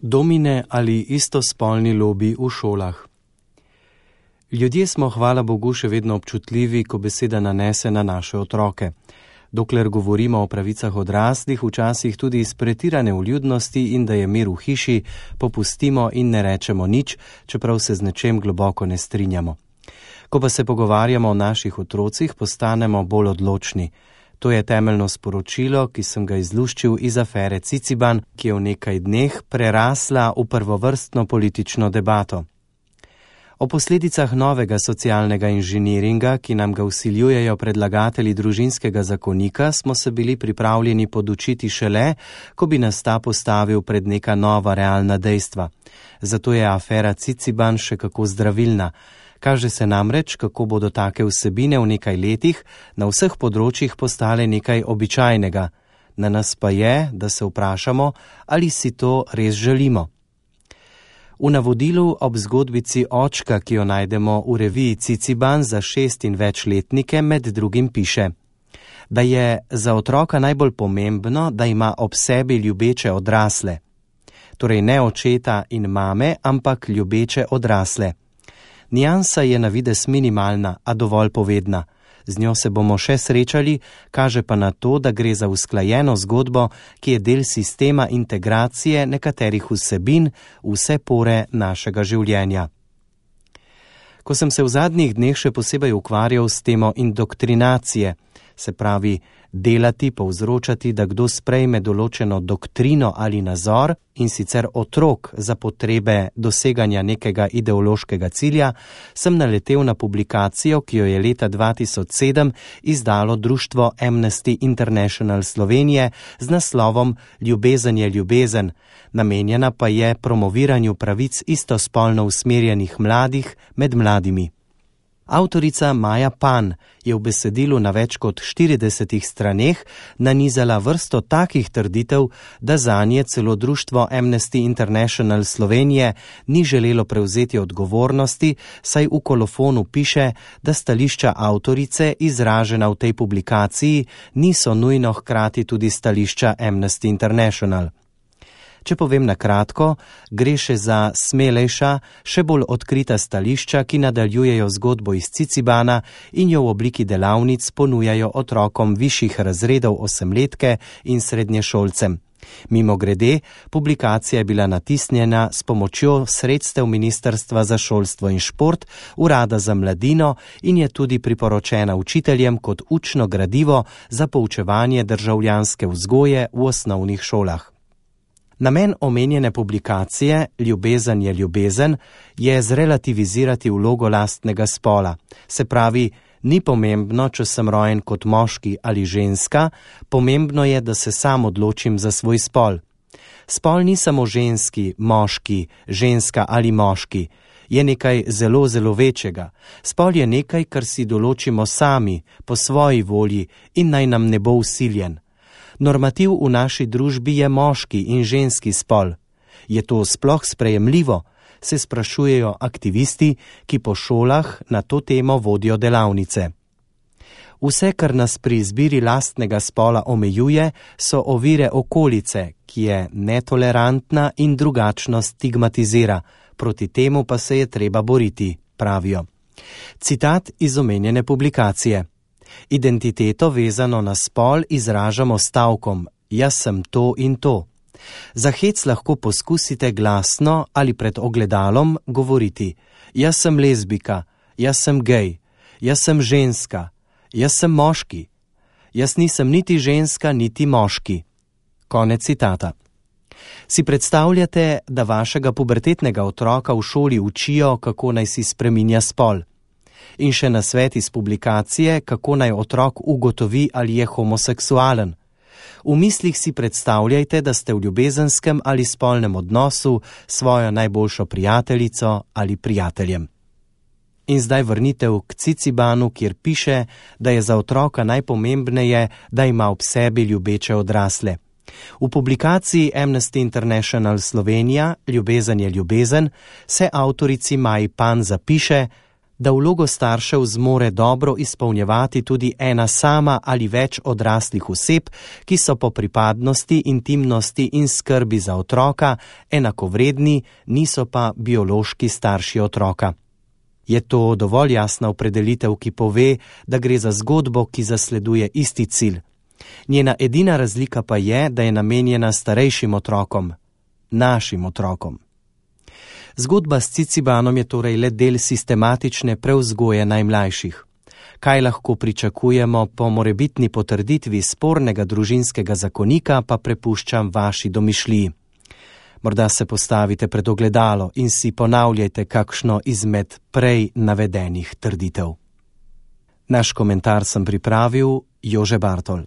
Domine ali istospolni lobi v šolah. Ljudje smo, hvala Bogu, še vedno občutljivi, ko beseda nanese na naše otroke. Dokler govorimo o pravicah odraslih, včasih tudi iz pretirane vljudnosti in da je mir v hiši, popustimo in ne rečemo nič, čeprav se z nečem globoko ne strinjamo. Ko pa se pogovarjamo o naših otrocih, postanemo bolj odločni. To je temeljno sporočilo, ki sem ga izluščil iz afere Ciciban, ki je v nekaj dneh prerasla v prvovrstno politično debato. O posledicah novega socialnega inženiringa, ki nam ga vsiljujejo predlagatelji družinskega zakonika, smo se bili pripravljeni podučiti šele, ko bi nas ta postavil pred neka nova realna dejstva. Zato je afera Ciciban še kako zdravilna. Kaže se namreč, kako bodo take vsebine v nekaj letih na vseh področjih postale nekaj običajnega. Na nas pa je, da se vprašamo, ali si to res želimo. V navodilu ob zgodbici očka, ki jo najdemo v reviji Ciciban za 6 in več letnike, med drugim piše, da je za otroka najbolj pomembno, da ima ob sebi ljubeče odrasle. Torej ne očeta in mame, ampak ljubeče odrasle. Niansa je na videz minimalna, a dovolj povedna. Z njo se bomo še srečali, kaže pa na to, da gre za usklajeno zgodbo, ki je del sistema integracije nekaterih vsebin v vse pore našega življenja. Ko sem se v zadnjih dneh še posebej ukvarjal s temo indoktrinacije, se pravi delati, povzročati, da kdo sprejme določeno doktrino ali nazor, in sicer otrok za potrebe doseganja nekega ideološkega cilja, sem naletel na publikacijo, ki jo je leta 2007 izdalo društvo Amnesty International Slovenije z naslovom Ljubezen je ljubezen, namenjena pa je promoviranju pravic istospolno usmerjenih mladih med mladimi. Avtorica Maja Pan je v besedilu na več kot 40 straneh nanizala vrsto takih trditev, da zanje celo društvo Amnesty International Slovenije ni želelo prevzeti odgovornosti, saj v kolofonu piše, da stališča avtorice, izražena v tej publikaciji, niso nujno hkrati tudi stališča Amnesty International. Če povem na kratko, gre še za smelejša, še bolj odkrita stališča, ki nadaljujejo zgodbo iz Cicibana in jo v obliki delavnic ponujajo otrokom višjih razredov osemletke in srednješolcem. Mimogrede, publikacija je bila natisnjena s pomočjo sredstev Ministrstva za šolstvo in šport, Urada za mladino in je tudi priporočena učiteljem kot učno gradivo za poučevanje državljanske vzgoje v osnovnih šolah. Namen omenjene publikacije Ljubezen je ljubezen je zrelativizirati vlogo lastnega spola. Se pravi, ni pomembno, če sem rojen kot moški ali ženska, pomembno je, da se sam odločim za svoj spol. Spol ni samo ženski, moški, ženska ali moški. Je nekaj zelo, zelo večjega. Spol je nekaj, kar si določimo sami, po svoji volji in naj nam ne bo vsiljen. Normativ v naši družbi je moški in ženski spol. Je to sploh sprejemljivo? Se sprašujejo aktivisti, ki po šolah na to temo vodijo delavnice. Vse, kar nas pri izbiri lastnega spola omejuje, so ovire okolice, ki je netolerantna in drugačno stigmatizira. Proti temu pa se je treba boriti, pravijo. Citat iz omenjene publikacije. Identiteto vezano na spol izražamo stavkom, jaz sem to in to. Za hec lahko poskusite glasno ali pred ogledalom govoriti, jaz sem lezbika, jaz sem gej, jaz sem ženska, jaz sem moški, jaz nisem niti ženska, niti moški. Konec citata. Si predstavljate, da vašega pubertetnega otroka v šoli učijo, kako naj si spreminja spol? In še nasvet iz publikacije, kako naj otrok ugotovi, ali je homoseksualen. V mislih si predstavljajte, da ste v ljubezenskem ali spolnem odnosu s svojo najboljšo prijateljico ali prijateljem. In zdaj vrnitev k Cicibanu, kjer piše, da je za otroka najpomembneje, da ima ob sebi ljubeče odrasle. V publikaciji Amnesty International Slovenija, Ljubezen je ljubezen, se avtorici Maji Pan zapiše, da vlogo staršev zmore dobro izpolnjevati tudi ena sama ali več odraslih oseb, ki so po pripadnosti, intimnosti in skrbi za otroka enakovredni, niso pa biološki starši otroka. Je to dovolj jasna opredelitev, ki pove, da gre za zgodbo, ki zasleduje isti cilj. Njena edina razlika pa je, da je namenjena starejšim otrokom, našim otrokom. Zgodba s Cicibanom je torej le del sistematične prevzgoje najmlajših. Kaj lahko pričakujemo po morebitni potrditvi spornega družinskega zakonika, pa prepuščam vaši domišljiji. Morda se postavite pred ogledalo in si ponavljajte kakšno izmed prej navedenih trditev. Naš komentar sem pripravil Jože Bartol.